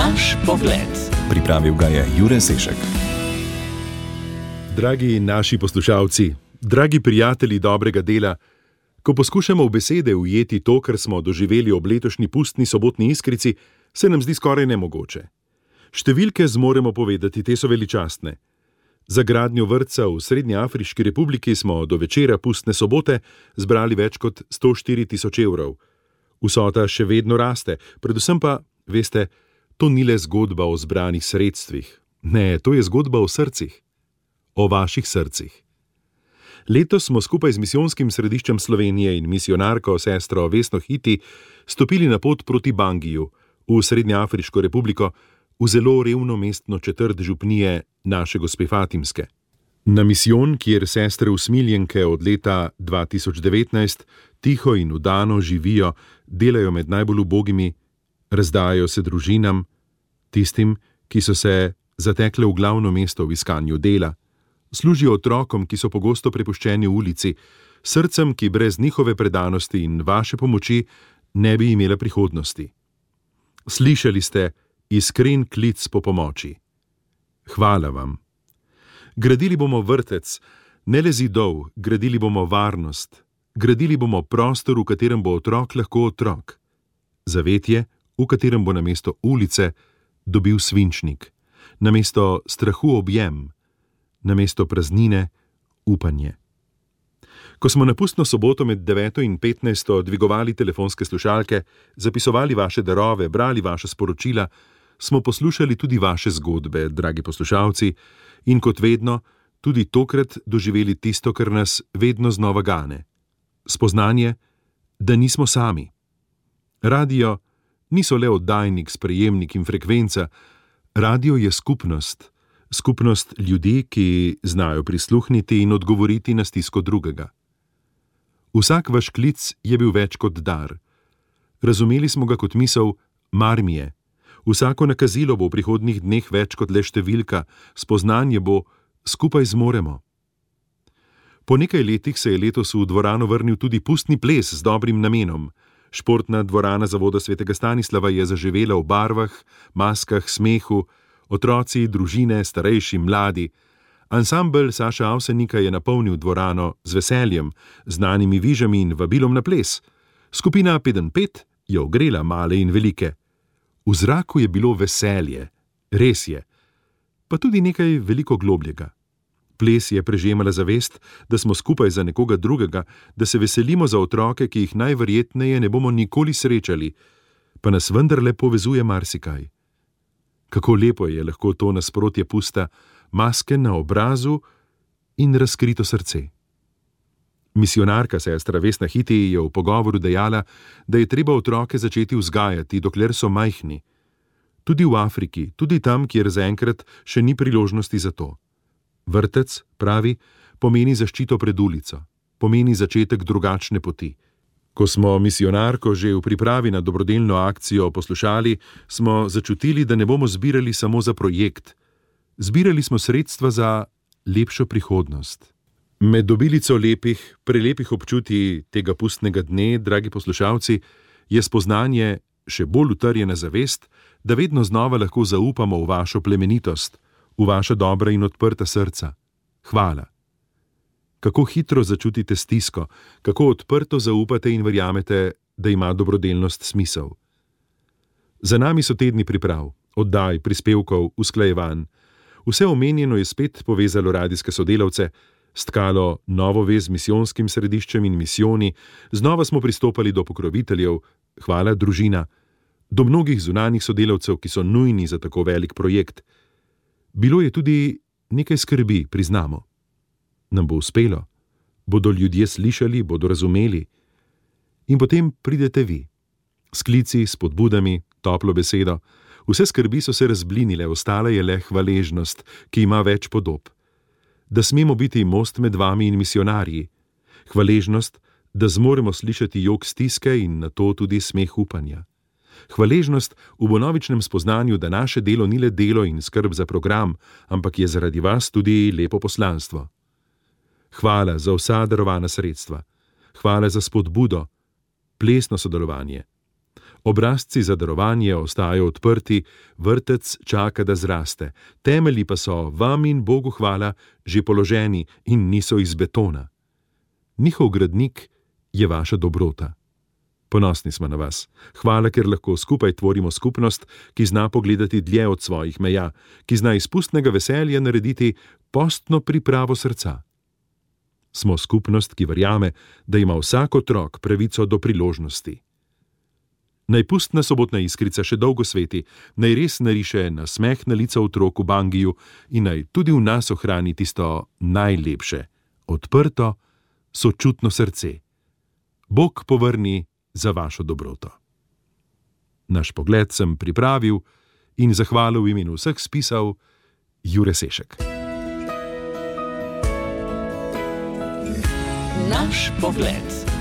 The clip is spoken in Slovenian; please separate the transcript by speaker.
Speaker 1: Naš pogled.
Speaker 2: Pripravil ga je Jure Sešek.
Speaker 3: Dragi naši poslušalci, dragi prijatelji dobrega dela, ko poskušamo v besede ujeti to, kar smo doživeli ob letošnji pustni sobotni iskrici, se nam zdi skoraj nemogoče. Številke zmoremo povedati, te so veličastne. Za gradnjo vrtca v Srednjeafriški republiki smo do večera pustne sobote zbrali več kot 104 tisoč evrov. Vsota še vedno raste, predvsem pa, veste, to ni le zgodba o zbranih sredstvih. Ne, to je zgodba o srcih. O vaših srcih. Letos smo skupaj z Misijonskim središčem Slovenije in misijonarko sestro Vesno Hiti stopili na pot proti Bangiju, v Srednjeafriško republiko, v zelo revno mestno četrt župnije naše gospe Fatimske. Na misijon, kjer sestre usmiljenke od leta 2019 tiho in vdano živijo, delajo med najbolj ubogimi, razdajajo se družinam, tistim, ki so se zatekle v glavno mesto v iskanju dela, služijo otrokom, ki so pogosto prepuščeni v ulici, srcem, ki brez njihove predanosti in vaše pomoči ne bi imela prihodnosti. Slišali ste iskren klic po pomoči. Hvala vam. Gradili bomo vrtec, ne le zidov, gradili bomo varnost, gradili bomo prostor, v katerem bo otrok lahko otrok. Zavetje, v katerem bo namesto ulice dobil svinčnik, namesto strahu objem, namesto praznine upanje. Ko smo na pustno soboto med 9. in 15. dvigovali telefonske slušalke, zapisovali vaše darove, brali vaša sporočila, smo poslušali tudi vaše zgodbe, dragi poslušalci, in kot vedno, tudi tokrat doživeli tisto, kar nas vedno znova gane. Spoznanje, da nismo sami. Radio niso le oddajnik, sprejemnik in frekvenca, radio je skupnost, skupnost ljudi, ki znajo prisluhniti in odgovoriti na stisko drugega. Vsak vaš klic je bil več kot dar. Razumeli smo ga kot misel, mar mi je. Vsako nakazilo bo v prihodnjih dneh več kot le številka, spoznanje bo, skupaj zmoremo. Po nekaj letih se je letos v dvorano vrnil tudi pustni ples z dobrim namenom. Športna dvorana Zavoda svetega Stanislava je zaživela v barvah, maskah, smehu, otroci, družine, starejši, mladi. Ansambel Saša Avsenika je napolnil dvorano z veseljem, znanimi vižami in vabilom na ples. Skupina 5x5 je ogrela male in velike. V zraku je bilo veselje, res je, pa tudi nekaj veliko globljega. Ples je prežemala zavest, da smo skupaj za nekoga drugega, da se veselimo za otroke, ki jih najverjetneje ne bomo nikoli srečali, pa nas vendarle povezuje marsikaj. Kako lepo je lahko to nasprotje pusta, maske na obrazu in razkrito srce. Misijonarka sestra Vesna Hiti je v pogovoru dejala, da je treba otroke začeti vzgajati, dokler so majhni. Tudi v Afriki, tudi tam, kjer zaenkrat še ni priložnosti za to. Vrtec, pravi, pomeni zaščito pred ulico, pomeni začetek drugačne poti. Ko smo misijonarko že v pripravi na dobrodelno akcijo poslušali, smo začutili, da ne bomo zbirali samo za projekt. Zbirali smo sredstva za lepšo prihodnost. Med obilico lepih, prelepih občutij tega pustnega dne, dragi poslušalci, je spoznanje, še bolj utrjena zavest, da vedno znova lahko zaupamo v vašo plemenitost, v vaša dobra in odprta srca. Hvala. Kako hitro začutite stisko, kako odprto zaupate in verjamete, da ima dobrodelnost smisel. Za nami so tedni priprav, oddaj, prispevkov, usklajevanj. Vse omenjeno je spet povezalo radijske sodelavce, stkalo novo vez z misijonskim središčem in misijoni, znova smo pristopali do pokroviteljev, hvala družina, do mnogih zunanjih sodelavcev, ki so nujni za tako velik projekt. Bilo je tudi nekaj skrbi, priznamo. Nam bo uspelo? Bodo ljudje slišali, bodo razumeli? In potem pridete vi. S klici, s spodbudami, toplo besedo. Vse skrbi so se razblinile, ostala je le hvaležnost, ki ima več podob. Da smemo biti most med vami in misijonarji. Hvaležnost, da zmoremo slišati jok stiske in na to tudi smeh upanja. Hvaležnost v bonovičnem spoznanju, da naše delo ni le delo in skrb za program, ampak je zaradi vas tudi lepo poslanstvo. Hvala za vsa darovana sredstva. Hvala za spodbudo, plesno sodelovanje. Obrazci za darovanje ostajajo odprti, vrtec čaka, da zraste, temelji pa so, vam in Bogu hvala, že položeni in niso iz betona. Njihov gradnik je vaša dobrota. Ponosni smo na vas. Hvala, ker lahko skupaj tvorimo skupnost, ki zna pogledati dlje od svojih meja, ki zna iz pustnega veselja narediti postno pripravo srca. Smo skupnost, ki verjame, da ima vsak otrok pravico do priložnosti. Naj pustna sobotna iskrica še dolgo sveti, naj res nariše nasmeh na lica otrok v Bangiju in naj tudi v nas ohrani tisto najlepše, odprto, sočutno srce. Bog povrni za vašo dobroto. Naš pogled sem pripravil in zahvalil v imenu vseh spisal Jure Sešek.
Speaker 1: Naš pogled.